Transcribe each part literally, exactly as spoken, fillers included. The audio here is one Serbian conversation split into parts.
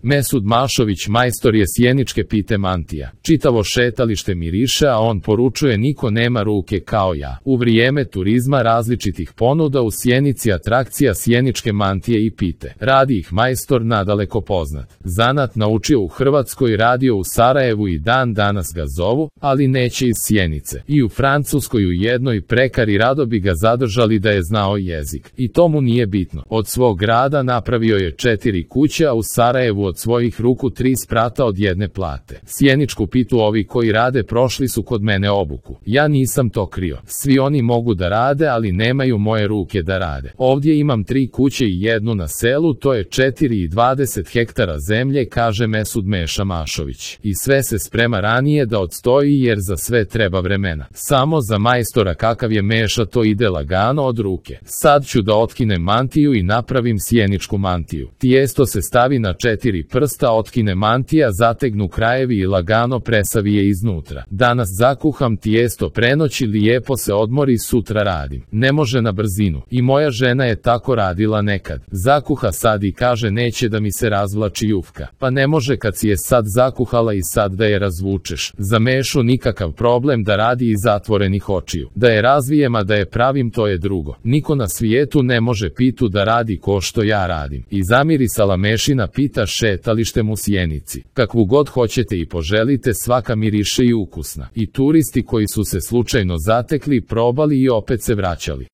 Mesud Mašović majstor je sjeničke pite mantija. Čitavo šetalište miriše, a on poručuje niko nema ruke kao ja. U vrijeme turizma različitih ponuda u Sjenici atrakcija sjeničke mantije i pite. Radi ih majstor nadaleko poznat. Zanat naučio u Hrvatskoj, radio u Sarajevu i dan danas ga zovu, ali neće iz Sjenice. I u Francuskoj u jednoj prekari rado bi ga zadržali da je znao jezik. I to mu nije bitno. Od svog grada napravio je četiri kuće, a u Sarajevu od svojih ruku tri sprata od jedne plate. Sjeničku pitu ovi koji rade prošli su kod mene obuku. Ja nisam to krio. Svi oni mogu da rade, ali nemaju moje ruke da rade. Ovdje imam tri kuće i jednu na selu, to je četiri i dvadeset hektara zemlje, kaže Mesud Meša Mašović. I sve se sprema ranije da odstoji jer za sve treba vremena. Samo za majstora kakav je Meša to ide lagano od ruke. Sad ću da otkinem mantiju i napravim sjeničku mantiju. Tijesto se stavi na četiri prsta, otkine mantija, zategnu krajevi i lagano presavi je iznutra. Danas zakuham tijesto prenoći, lijepo se odmori, sutra radim. Ne može na brzinu. I moja žena je tako radila nekad. Zakuha sad i kaže neće da mi se razvlači jufka. Pa ne može kad si je sad zakuhala i sad da je razvučeš. Za Mešu nikakav problem da radi iz zatvorenih očiju. Da je razvijem, a da je pravim, to je drugo. Niko na svijetu ne može pitu da radi ko što ja radim. I zamirisala Mešina pita šetalištem u Sjenici. Kakvu god hoćete i poželite, svaka miriše i ukusna. I turisti koji su se slučajno zatekli, probali i opet se vraćali.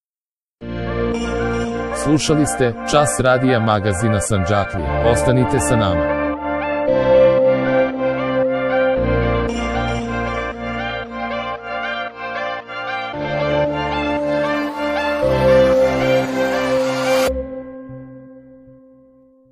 Slušali ste Čas radija magazina Sandžaklija. Ostanite sa nama.